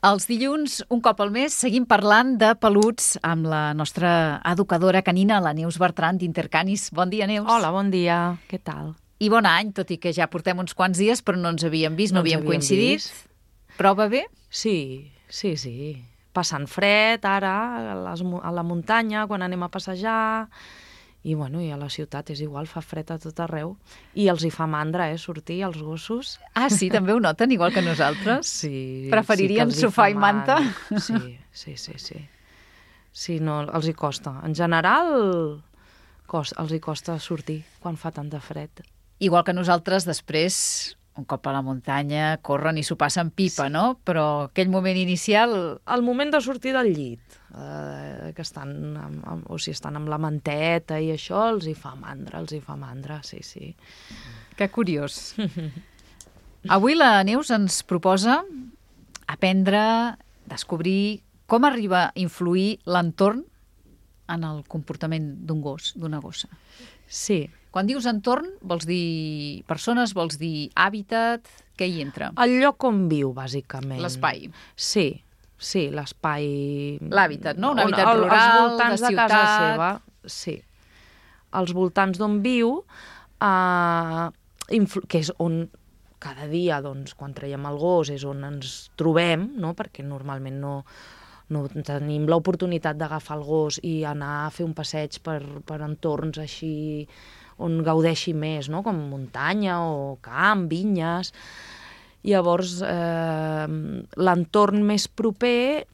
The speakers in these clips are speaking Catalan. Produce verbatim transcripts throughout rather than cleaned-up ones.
Els dilluns, un cop al mes, seguim parlant de peluts amb la nostra educadora canina, la Neus Bertran d'Intercanis. Bon dia, Neus. Hola, bon dia. Què tal? I bon any, tot i que ja portem uns quants dies, però no ens havíem vist, no, No ens havíem havíem coincidit. vist. Però va bé? Sí, sí, sí. Passant fred, ara, a, les, mu- a la muntanya, quan anem a passejar. I, bueno, i a la ciutat és igual, fa fred a tot arreu. I els hi fa mandra, eh, sortir, els gossos. Ah, sí, també ho noten, igual que nosaltres? Sí. Preferirien sí que els hi sofà fa i manta? mandra. Sí, sí, sí, sí. Sí, no, els hi costa. En general, cos, els hi costa sortir quan fa tant de fred. Igual que nosaltres, després, un cop a la muntanya, corren i s'ho passen pipa, no? Però aquell moment inicial... El moment de sortir del llit, eh, que estan amb, amb, o sigui, estan amb la manteta i això, els hi fa mandra, els hi fa mandra, sí, sí. Que curiós. Avui la Neus ens proposa aprendre, descobrir com arriba a influir l'entorn en el comportament d'un gos, d'una gossa. Sí. Quan dius entorn, vols dir persones, vols dir hàbitat, què hi entra? El lloc on viu, bàsicament. L'espai. Sí, sí, l'espai... L'hàbitat, no? Un On- hàbitat el- rural, els voltants de de, casa ciutat. seva, sí. Els voltants d'on viu, eh, influ- que és on cada dia, doncs, quan traiem el gos, és on ens trobem, no? Perquè normalment no, no tenim l'oportunitat d'agafar el gos i anar a fer un passeig per, per entorns així on gaudeixi més, no? Com muntanya o camp, vinyes. Llavors, eh, l'entorn més proper,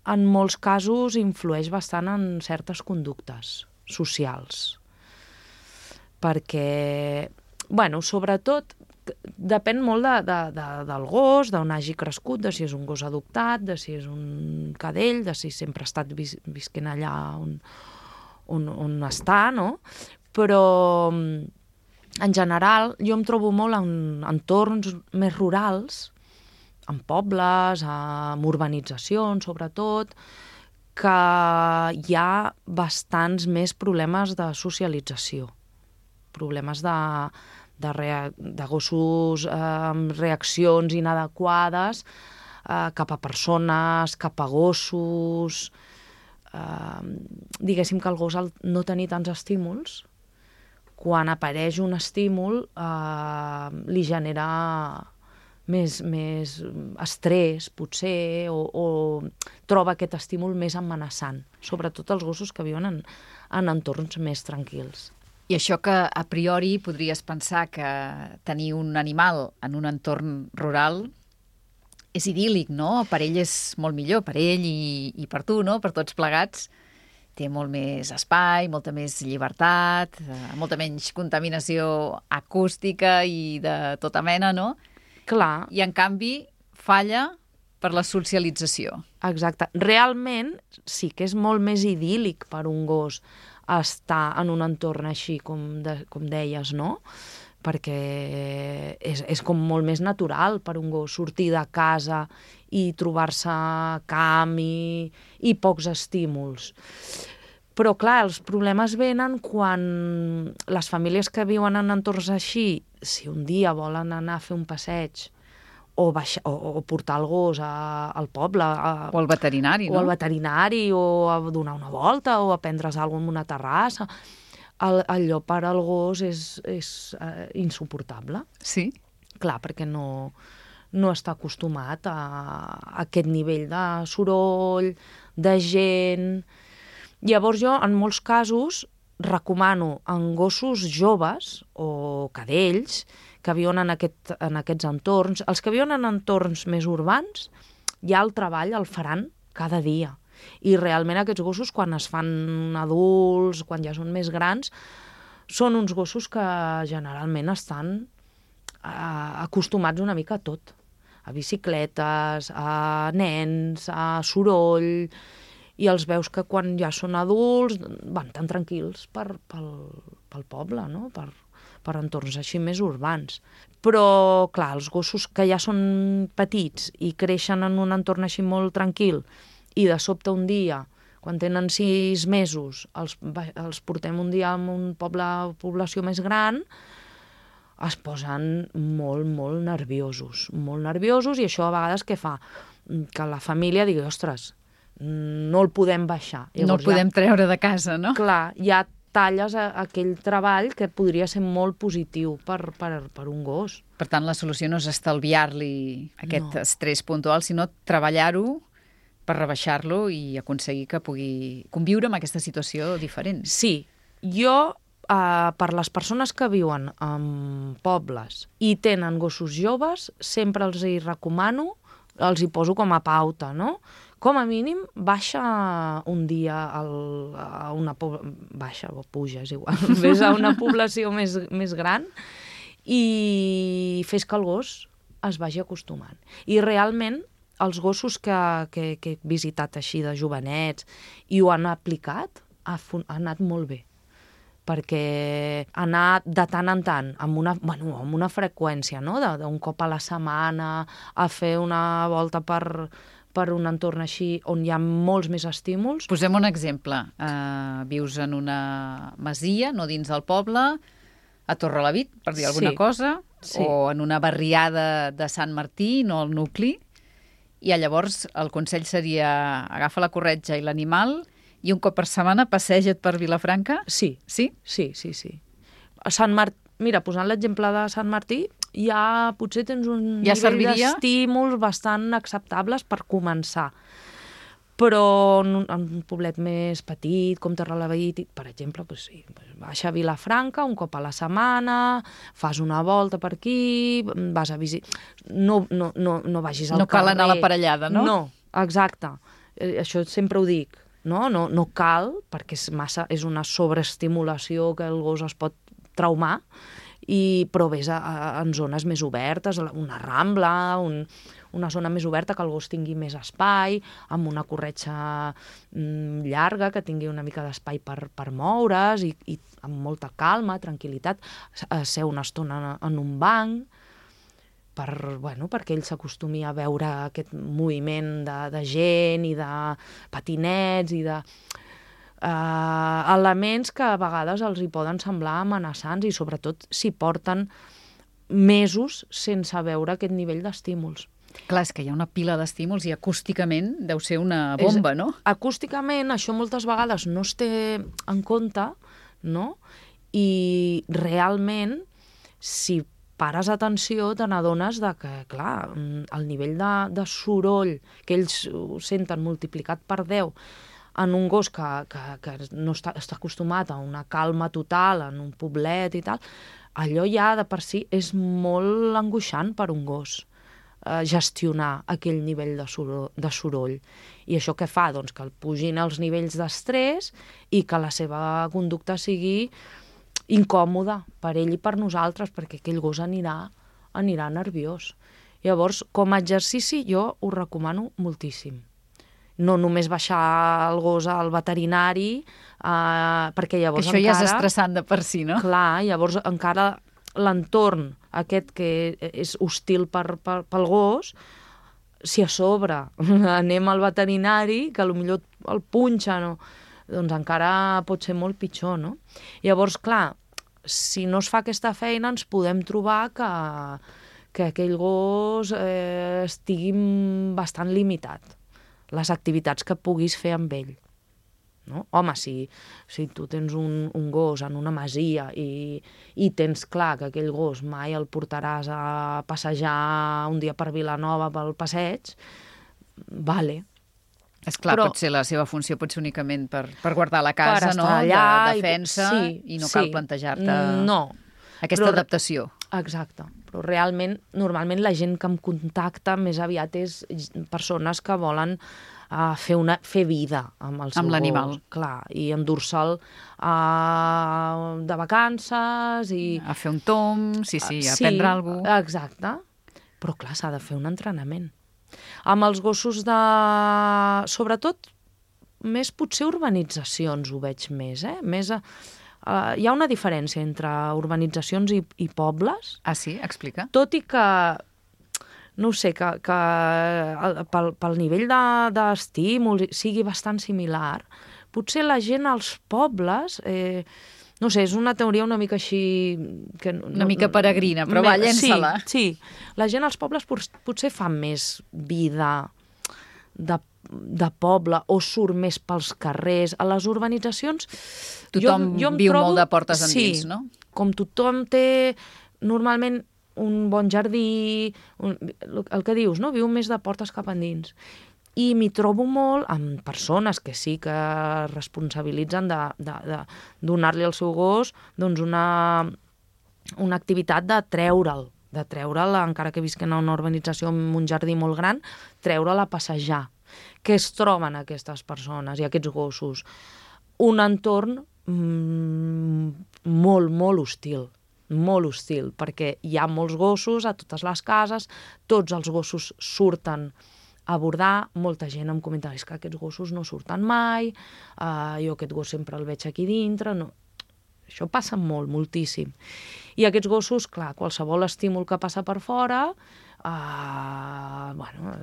en molts casos, influeix bastant en certes conductes socials. Perquè, bueno, sobretot, depèn molt de, de, de, del gos, d'on hagi crescut, de si és un gos adoptat, de si és un cadell, de si sempre ha estat vis, visquent allà on, on, on està, no? Però, en general, jo em trobo molt en entorns més rurals, en pobles, en urbanitzacions, sobretot, que hi ha bastants més problemes de socialització, problemes de, de, rea, de gossos eh, amb reaccions inadequades eh, cap a persones, cap a gossos. Eh, diguéssim que el gos, al no tenir tants estímuls, quan apareix un estímul, eh, li genera més, més estrès, potser, o, o troba aquest estímul més amenaçant, sobretot els gossos que viuen en, en entorns més tranquils. I això que a priori podries pensar que tenir un animal en un entorn rural és idíl·lic, no? Per ell és molt millor, per ell i, i per tu, no? Per tots plegats. Té molt més espai, molta més llibertat, eh, molta menys contaminació acústica i de tota mena, no? Clar. I, en canvi, falla per la socialització. Exacte. Realment sí que és molt més idíl·lic per un gos estar en un entorn així, com, de, com deies, no? Perquè és, és com molt més natural per un gos sortir de casa i trobar-se camp i, i pocs estímuls. Però, clar, els problemes venen quan les famílies que viuen en entorns així, si un dia volen anar a fer un passeig o, baixar, o, o portar el gos a, al poble... A, o al veterinari, o no? al veterinari, o a donar una volta, o a prendre's alguna cosa en una terrassa... El, allò per al gos és, és uh, insuportable. Sí? Clar, perquè no, no està acostumat a, a aquest nivell de soroll, de gent... Llavors jo, en molts casos, recomano en gossos joves o cadells que viuen en, aquest, en aquests entorns. Els que viuen en entorns més urbans, ja el treball el faran cada dia. I realment aquests gossos, quan es fan adults, quan ja són més grans, són uns gossos que generalment estan eh, acostumats una mica a tot. A bicicletes, a nens, a soroll... I els veus que quan ja són adults van tan tranquils per, pel, pel poble, no? per, per entorns així més urbans. Però, clar, els gossos que ja són petits i creixen en un entorn així molt tranquil i de sobte un dia, quan tenen sis mesos, els, els portem un dia a un poble, població més gran, es posen molt, molt nerviosos, molt nerviosos, i això a vegades què fa? que la família digui, ostres, no el podem baixar. Llavors, no el podem ja, treure de casa, no? Clar, ja talles a, a aquell treball que podria ser molt positiu per, per, per un gos. Per tant, la solució no és estalviar-li aquest No. estrès puntual, sinó treballar-ho per rebaixar-lo i aconseguir que pugui conviure amb aquesta situació diferent. Sí, jo, eh, per les persones que viuen en pobles i tenen gossos joves, sempre els hi recomano, els hi poso com a pauta, no? Com a mínim, baixa un dia al, a una... Baixa o puja, és igual. Ves a una població més, més gran i fes que el gos es vagi acostumant. I realment, els gossos que, que, que he visitat així de jovenets i ho han aplicat, ha, ha anat molt bé. Perquè anar de tant en tant, amb una, bueno, amb una freqüència, no? d'un cop a la setmana, a fer una volta per, per un entorn així on hi ha molts més estímuls. Posem un exemple. Uh, vius en una masia, no dins del poble, a Torrelavit, per dir alguna Sí. cosa, Sí. o en una barriada de Sant Martí, no al nucli, i llavors el consell seria agafa la corretja i l'animal i un cop per setmana passeja't per Vilafranca? Sí, Sí? sí, sí, sí. A Sant Martí, mira, posant l'exemple de Sant Martí, ja potser tens un Ja nivell serviria? d'estímuls bastant acceptables per començar. Però en un, en un poblet més petit, com Torrelavit, per exemple, doncs sí, baixa a Vilafranca un cop a la setmana, fas una volta per aquí, vas a visitar... No, no, no, no vagis al No cal carrer. anar a la parellada, no? No, exacte. Eh, Això sempre ho dic. No, no, no cal, perquè és, massa, és una sobreestimulació que el gos es pot traumar, i, però vés a, a, en zones més obertes, una rambla, un, una zona més oberta que el gos tingui més espai, amb una corretja mm, llarga, que tingui una mica d'espai per, per moure's, i, i amb molta calma, tranquil·litat, ser una estona en, en un banc, per, bueno, perquè ell s'acostumi a veure aquest moviment de, de gent i de patinets i de uh, elements que a vegades els hi poden semblar amenaçants i sobretot si porten mesos sense veure aquest nivell d'estímuls. Clar, és que hi ha una pila d'estímuls i acústicament deu ser una bomba, és, no? Acústicament això moltes vegades no es té en compte, no? I realment, si pares atenció, te n'adones de que, clar, el nivell de, de soroll que ells ho senten multiplicat per deu en un gos que, que, que no està, està acostumat a una calma total, en un poblet i tal, allò ja de per si és molt angoixant per un gos, eh, gestionar aquell nivell de soroll, de soroll. I això què fa? Doncs que el pugin els nivells d'estrès i que la seva conducta sigui incòmoda per ell i per nosaltres, perquè aquell gos anirà, anirà nerviós. Llavors, com a exercici, jo ho recomano moltíssim. No només baixar el gos al veterinari, eh, perquè llavors Això encara... ja és estressant de per si, no? Clar, llavors encara l'entorn aquest que és hostil per, per, pel gos, si a sobre anem al veterinari, que potser el punxen, no? Doncs encara pot ser molt pitjor, no? Llavors, clar, si no es fa aquesta feina ens podem trobar que, que aquell gos eh, estigui bastant limitat, les activitats que puguis fer amb ell. No? Home, si, si tu tens un, un gos en una masia i, i tens clar que aquell gos mai el portaràs a passejar un dia per Vilanova pel passeig, vale. És clar, Però, potser la seva funció pot ser únicament per, per guardar la casa, per no? estar allà De defensa, i, sí, i no sí. cal plantejar-te no, aquesta però, adaptació. Exacte, però realment, normalment la gent que em contacta més aviat és persones que volen uh, fer, una, fer vida amb el seu Amb l'animal. gos, clar, i endur-se'l uh, de vacances i... A fer un tom, sí, sí, a sí, prendre alguna cosa. Exacte, però clar, s'ha de fer un entrenament. Amb els gossos de... Sobretot, més potser urbanitzacions ho veig més, eh? Més a... Uh, hi ha una diferència entre urbanitzacions i, i pobles, Ah, sí? Explica. tot i que, no ho sé, que, que el- pel, pel nivell de- d'estímuls sigui bastant similar, potser la gent als pobles... Eh, no sé, és una teoria una mica així... Que no, Una mica peregrina, però va, llença-la. Sí, sí, la gent als pobles pot- potser fa més vida de, de poble o surt més pels carrers. A les urbanitzacions... Tothom jo, jo em viu trobo, molt de portes endins, sí, no? Com tothom té normalment un bon jardí, un, el que dius, no? Viu més de portes cap endins. I m'hi trobo molt amb persones que sí que es responsabilitzen de, de, de donar-li al seu gos doncs una, una activitat de treure'l, de treure'l, encara que visquen a una urbanització amb un jardí molt gran, treure'l a passejar. Què es troben aquestes persones i aquests gossos? Un entorn mm, molt, molt hostil, molt hostil, perquè hi ha molts gossos a totes les cases, tots els gossos surten a abordar, molta gent em comenta és que aquests gossos no surten mai, uh, jo aquest gos sempre el veig aquí dintre, no. Això passa molt, moltíssim. I aquests gossos, clar, qualsevol estímul que passa per fora, uh, bueno,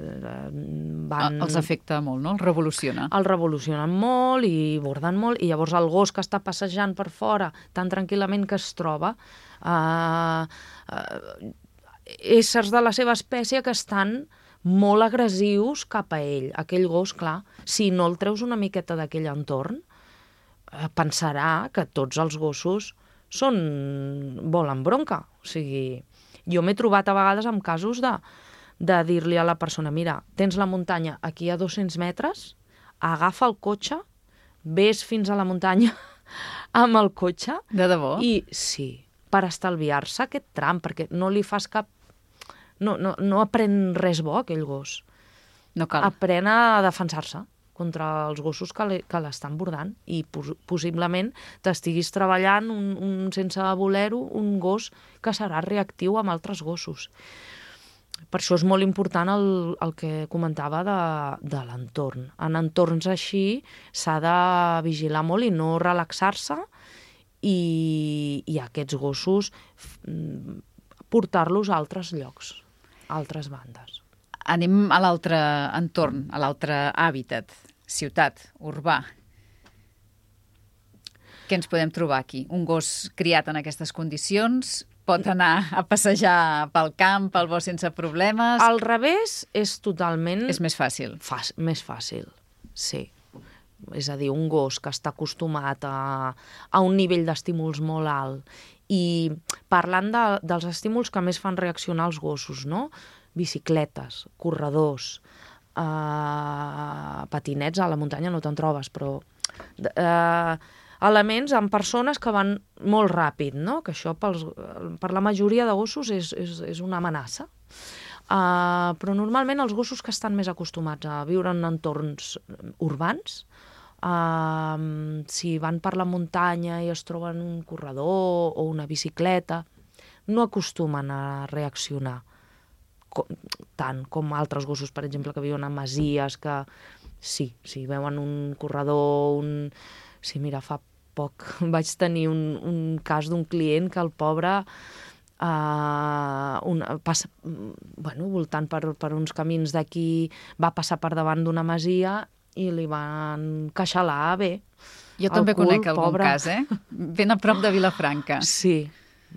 van... Els afecta molt, no? Els revoluciona. Els revolucionen molt i borden molt, i llavors el gos que està passejant per fora tan tranquil·lament que es troba, uh, uh, éssers de la seva espècie que estan molt agressius cap a ell. Aquell gos, clar, si no el treus una miqueta d'aquell entorn, pensarà que tots els gossos són... volen bronca. O sigui, jo m'he trobat a vegades amb casos de, de dir-li a la persona mira, tens la muntanya aquí a dos-cents metres, agafa el cotxe, ves fins a la muntanya amb el cotxe. De debò? I sí, per estalviar-se aquest tram, perquè no li fas cap... No, no, no aprèn res bo, aquell gos. No cal. Aprèn a defensar-se contra els gossos que l'estan bordant i pos possiblement t'estiguis treballant un, un, sense voler-ho, un gos que serà reactiu amb altres gossos. Per això és molt important el, el que comentava de, de l'entorn. En entorns així s'ha de vigilar molt i no relaxar-se i, i aquests gossos portar-los a altres llocs, a altres bandes. Anem a l'altre entorn, a l'altre hàbitat, ciutat, urbà. Què ens podem trobar aquí? Un gos criat en aquestes condicions pot anar a passejar pel camp, pel bosc sense problemes? Al revés és totalment... És més fàcil. Fàcil, més fàcil, sí. És a dir, un gos que està acostumat a, a un nivell d'estímuls molt alt i parlant de, dels estímuls que més fan reaccionar els gossos, no? Bicicletes, corredors, eh, patinets a la muntanya no te'n trobes, però eh, elements amb persones que van molt ràpid, no? Que això pels, per la majoria de gossos és, és, és una amenaça. Uh, però normalment els gossos que estan més acostumats a viure en entorns urbans, uh, si van per la muntanya i es troben un corredor o una bicicleta, no acostumen a reaccionar com, tant com altres gossos, per exemple, que viuen a masies, que sí, si veuen un corredor, un... Sí, mira, fa poc vaig tenir un, un cas d'un client que el pobre... Uh, una, passa, bueno, voltant per, per uns camins d'aquí, va passar per davant d'una masia i li van queixalar bé. Jo també cul, conec algun pobre. cas, eh? Ben a prop de Vilafranca. Sí,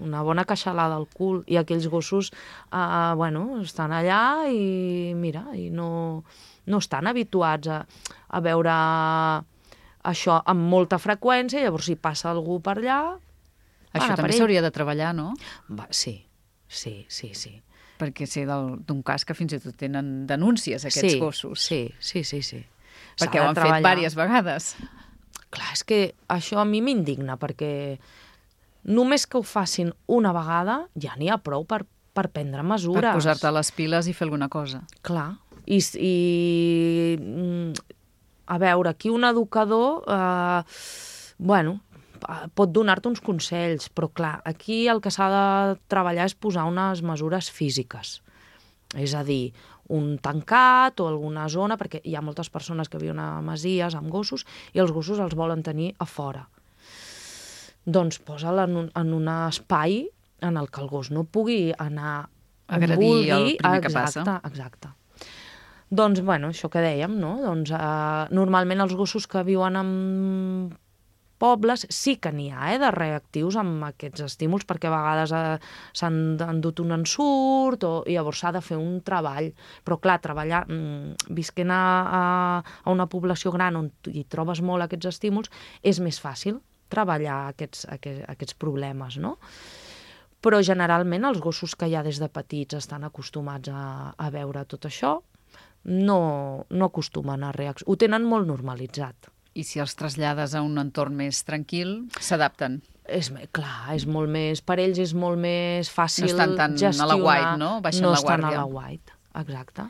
una bona queixalada al cul. I aquells gossos, uh, bueno, estan allà i mira, i no, no estan habituats a, a veure això amb molta freqüència, llavors si passa algú per allà... Això també s'hauria de treballar, no? Va, sí, sí, sí, sí. Perquè sé d'un cas que fins i tot tenen denúncies, aquests sí, gossos. Sí, sí, sí, sí. Perquè ho han fet diverses vegades. Clar, és que això a mi m'indigna, perquè només que ho facin una vegada ja n'hi ha prou per, per prendre mesures. Per posar-te les piles i fer alguna cosa. Clar, i... i a veure, aquí un educador, eh, bueno... pot donar-te uns consells, però clar, aquí el que s'ha de treballar és posar unes mesures físiques. És a dir, un tancat o alguna zona, perquè hi ha moltes persones que viuen a masies amb gossos i els gossos els volen tenir a fora. Doncs posa'l en un, en un espai en el que el gos no pugui anar agredir vulgui, el primer que exacte, passa. Exacte. Doncs, bueno, això que dèiem, no? Doncs, eh, normalment els gossos que viuen amb pobles sí que n'hi ha, eh, de reactius amb aquests estímuls, perquè a vegades eh, s'han endut un ensurt o, i llavors s'ha de fer un treball. Però clar, treballar, mm, visquent a, a, a una població gran on hi trobes molt aquests estímuls, és més fàcil treballar aquests, aquests, aquests problemes, no? Però generalment els gossos que ja des de petits estan acostumats a, a veure tot això no, no acostumen a reaccionar. Ho tenen molt normalitzat. I si els trasllades a un entorn més tranquil, s'adapten. És, clar, és molt més, per ells és molt més fàcil gestionar. No estan tan gestionar, a la white, no? Baixen no la estan guàrdia. a la white, exacte.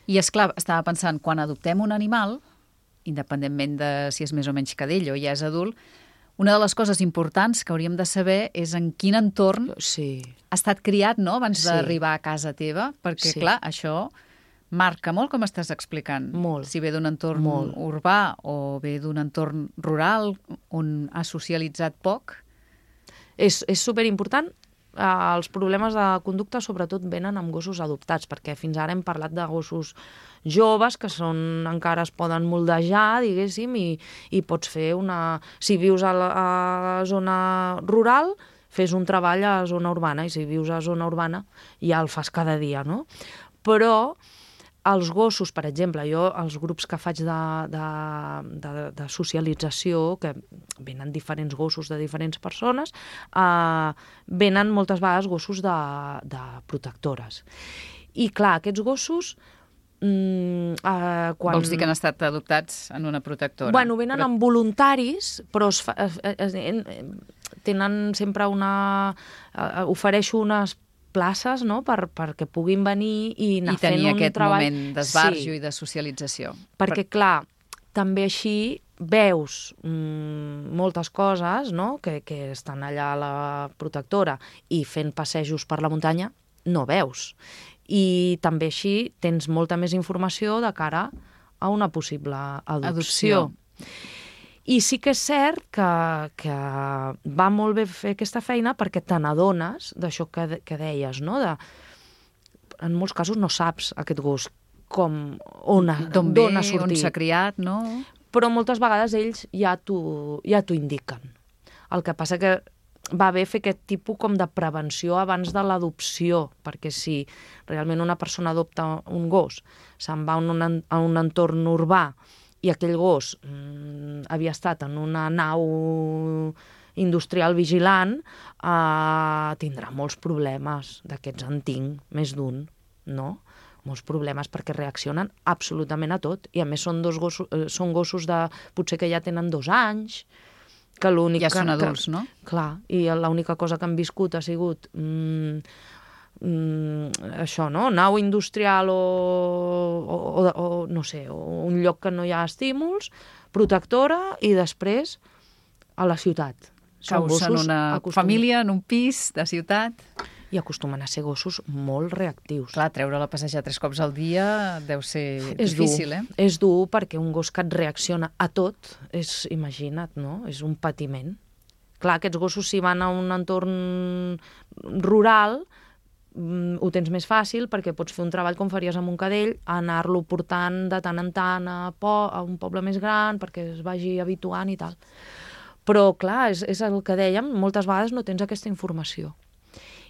I és clar, estava pensant, quan adoptem un animal, independentment de si és més o menys cadell o ja és adult, una de les coses importants que hauríem de saber és en quin entorn sí. ha estat criat, no?, abans Sí. d'arribar a casa teva, perquè, Sí. clar, això marca molt, com estàs explicant. Molt. Si ve d'un entorn Molt. urbà o ve d'un entorn rural on ha socialitzat poc. És, és superimportant. Uh, els problemes de conducta sobretot venen amb gossos adoptats, perquè fins ara hem parlat de gossos joves que són, encara es poden moldejar, diguéssim, i, i pots fer una... Si vius a la, a la zona rural, fes un treball a zona urbana, i si vius a zona urbana ja el fas cada dia, no? Però els gossos, per exemple, jo, els grups que faig de, de, de, de socialització, que venen diferents gossos de diferents persones, eh, venen moltes vegades gossos de, de protectores. I clar, aquests gossos... Mm, eh, quan... Vols dir que han estat adoptats en una protectora? Bueno, venen però... amb voluntaris, però es fa, es, es, es, tenen sempre una... Eh, ofereixo unes places, no?, per, perquè puguin venir i anar I tenir fent un aquest treball. moment d'esbarjo Sí. i de socialització. Perquè, per... clar, també així veus mm, moltes coses, no?, que, que estan allà a la protectora i fent passejos per la muntanya, no veus. I també així tens molta més informació de cara a una possible adopció. Adopció. I sí que és cert que, que va molt bé fer aquesta feina perquè te n'adones d'això que, de, que deies, no? De, en molts casos no saps aquest gos com, on, D'on ve, ha sortit. on s'ha criat, no? Però moltes vegades ells ja t'ho ja t'ho indiquen. El que passa que va bé fer aquest tipus com de prevenció abans de l'adopció, perquè si realment una persona adopta un gos, se'n va a un, a un entorn urbà i aquell gos mmm, havia estat en una nau industrial vigilant, eh, tindrà molts problemes. D'aquests en tinc més d'un, no? Molts problemes perquè reaccionen absolutament a tot. I a més són, dos gossos, eh, són gossos de, potser que ja tenen dos anys, que l'únic Ja que, són adults, que, no? Clar, i l'única cosa que han viscut ha sigut mm, mm, això, no? Nau industrial o, o, o, o no sé, o un lloc que no hi ha estímuls, protectora, i després a la ciutat. Caus en una acostum... família, en un pis de ciutat. I acostumen a ser gossos molt reactius. Clar, treure-la a passejar tres cops al dia deu ser És difícil, dur. eh? És dur perquè un gos que et reacciona a tot, és, imagina't, no? És un patiment. Clar, aquests gossos, si van a un entorn rural, ho tens més fàcil perquè pots fer un treball com faries amb un cadell, anar-lo portant de tant en tant a, po a un poble més gran perquè es vagi habituant i tal. Però, clar, és, és el que dèiem, moltes vegades no tens aquesta informació.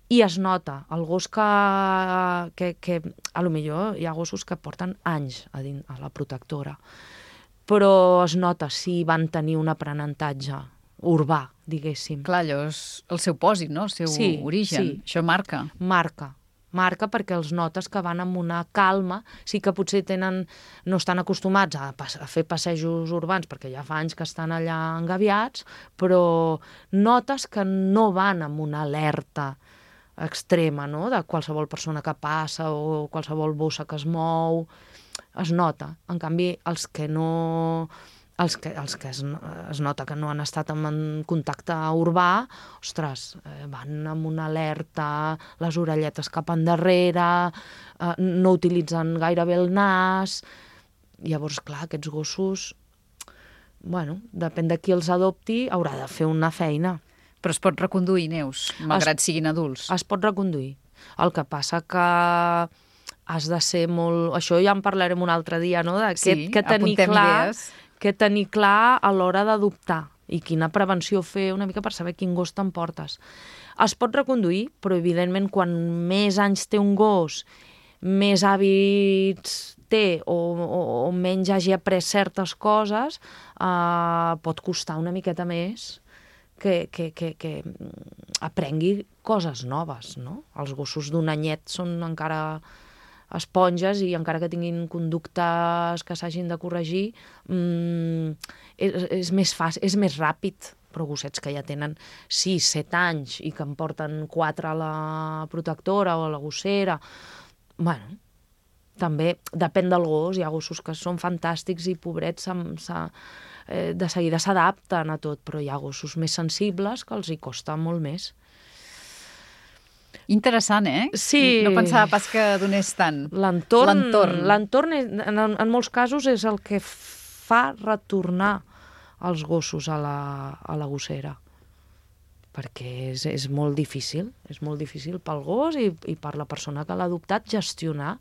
I es nota, el gos que, que, que a lo millor hi ha gossos que porten anys a, dins, a la protectora, però es nota si van tenir un aprenentatge urbà, diguéssim. Clar, allò és el seu pòsit, no? El seu Sí, origen. sí. Això marca. Marca. Marca perquè els notes que van amb una calma, sí que potser tenen, no estan acostumats a, a fer passejos urbans perquè ja fa anys que estan allà engaviats, però notes que no van amb una alerta extrema, no?, de qualsevol persona que passa o qualsevol bossa que es mou. Es nota. En canvi, els que no... Els que, els que es, es nota que no han estat en contacte urbà, ostres, eh, van amb una alerta, les orelletes cap endarrere, eh, no utilitzen gairebé el nas. Llavors, clar, aquests gossos, bueno, depèn de qui els adopti, haurà de fer una feina. Però es pot reconduir, Neus, malgrat es, siguin adults. Es pot reconduir. El que passa que has de ser molt... Això ja en parlarem un altre dia, no? De sí, que, que tenir clar, idees. Que tenir clar a l'hora d'adoptar, i quina prevenció fer una mica per saber quin gos t'emportes. Es pot reconduir, però evidentment quan més anys té un gos, més hàbits té o, o, o menys hagi après certes coses, eh, pot costar una miqueta més que, que, que, que aprengui coses noves, no? Els gossos d'un anyet són encara esponges i encara que tinguin conductes que s'hagin de corregir, mmm, és, és més fàcil, és més ràpid, però gossets que ja tenen sis, set anys i que en porten quatre a la protectora o a la gossera, bueno, també depèn del gos, hi ha gossos que són fantàstics i pobrets eh, de seguida s'adapten a tot, però hi ha gossos més sensibles que els hi costa molt més. Interessant, eh? Sí. No pensava pas que donés tant. L'entorn, l'entorn en, en molts casos és el que fa retornar els gossos a la, a la gossera. Perquè és, és molt difícil, és molt difícil pel gos i, i per la persona que l'ha adoptat gestionar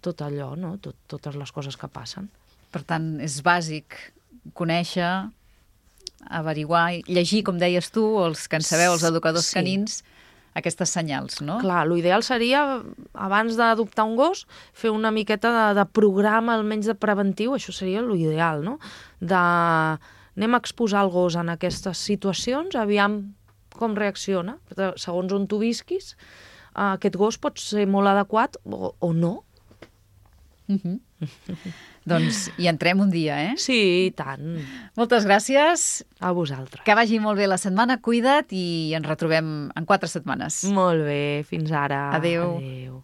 tot allò, no? Tot, totes les coses que passen. Per tant, és bàsic conèixer, averiguar, llegir, com deies tu, els que en sabeu, els educadors sí. canins, aquestes senyals, no? Clar, l'ideal seria, abans d'adoptar un gos, fer una miqueta de, de programa, almenys de preventiu, això seria l'ideal, no? De anem a exposar el gos en aquestes situacions, aviam com reacciona, segons on tu visquis, aquest gos pot ser molt adequat o, o no. Uh-huh. Doncs hi entrem un dia, eh? Sí, i tant. Moltes gràcies. A vosaltres. Que vagi molt bé la setmana, cuida't i ens retrobem en quatre setmanes. Molt bé, fins ara. Adéu. Adéu.